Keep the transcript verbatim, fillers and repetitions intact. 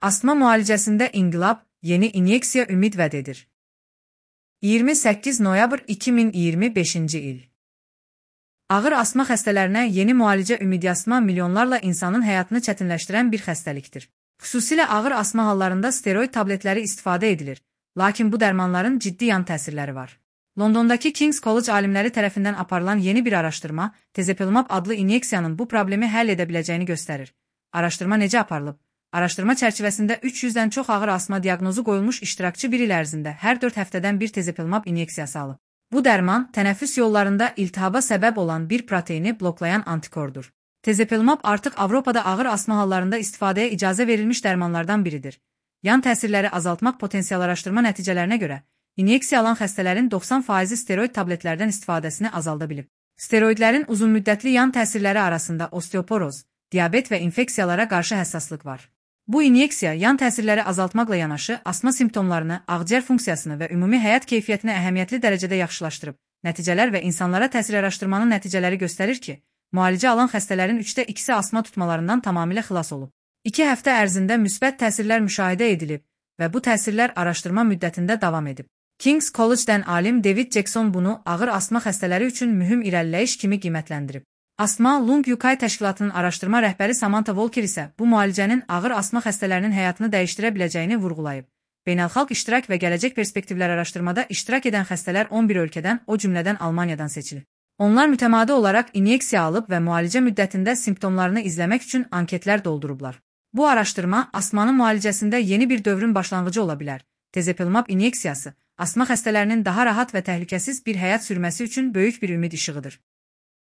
Asma müalicəsində inqilab, yeni inyeksiya ümid vəd edir. iyirmi səkkiz noyabr iki min iyirmi beşinci il. Ağır asma xəstələrinə yeni müalicə ümidyasma milyonlarla insanın həyatını çətinləşdirən bir xəstəlikdir. Xüsusilə ağır asma hallarında steroid tabletləri istifadə edilir, lakin bu dərmanların ciddi yan təsirləri var. Londondakı King's College alimləri tərəfindən aparılan yeni bir araşdırma, tezepelumab adlı inyeksiyanın bu problemi həll edə biləcəyini göstərir. Araşdırma necə aparılıb? Araşdırma çərçivəsində üç yüzdən çox ağır asma diaqnozu qoyulmuş iştirakçı bir il ərzində hər dörd həftədən bir tezepelumab inyeksiyası alıb. Bu dərman, tənəffüs yollarında iltihaba səbəb olan bir proteini bloklayan antikordur. Tezepelumab artıq Avropada ağır asma hallarında istifadəyə icazə verilmiş dərmanlardan biridir. Yan təsirləri azaltmaq potensial araşdırma nəticələrinə görə, inyeksiya alan xəstələrin doxsan faizi steroid tabletlərdən istifadəsini azalda bilib. Steroidlərin uzunmüddətli yan təsirləri arasında osteoporoz, diabet və infeksiyalara qarşı həssaslıq var. Bu inyeksiya yan təsirləri azaltmaqla yanaşı asma simptomlarını, ağciyər funksiyasını və ümumi həyat keyfiyyətini əhəmiyyətli dərəcədə yaxşılaşdırıb. Nəticələr və insanlara təsir araşdırmanın nəticələri göstərir ki, müalicə alan xəstələrin üçdə ikisi asma tutmalarından tamamilə xilas olub. İki həftə ərzində müsbət təsirlər müşahidə edilib və bu təsirlər araşdırma müddətində davam edib. King's College-dən alim David Jackson bunu ağır asma xəstələri üçün mühüm irəliləyiş kimi qiymətləndirib. Asma Lung U K təşkilatının araşdırma rəhbəri Samantha Walker isə bu müalicənin ağır asma xəstələrinin həyatını dəyişdirə biləcəyini vurğulayıb. Beynəlxalq iştirak və gələcək perspektivlər araşdırmada iştirak edən xəstələr on bir ölkədən, o cümlədən Almaniyadan seçilir. Onlar mütəmadi olaraq inyeksiya alıb və müalicə müddətində simptomlarını izləmək üçün anketlər doldurublar. Bu araşdırma asmanın müalicəsində yeni bir dövrün başlanğıcı ola bilər. Tezepelumab inyeksiyası asma xəstələrinin daha rahat və təhlükəsiz bir həyat sürməsi üçün böyük bir ümid işığıdır.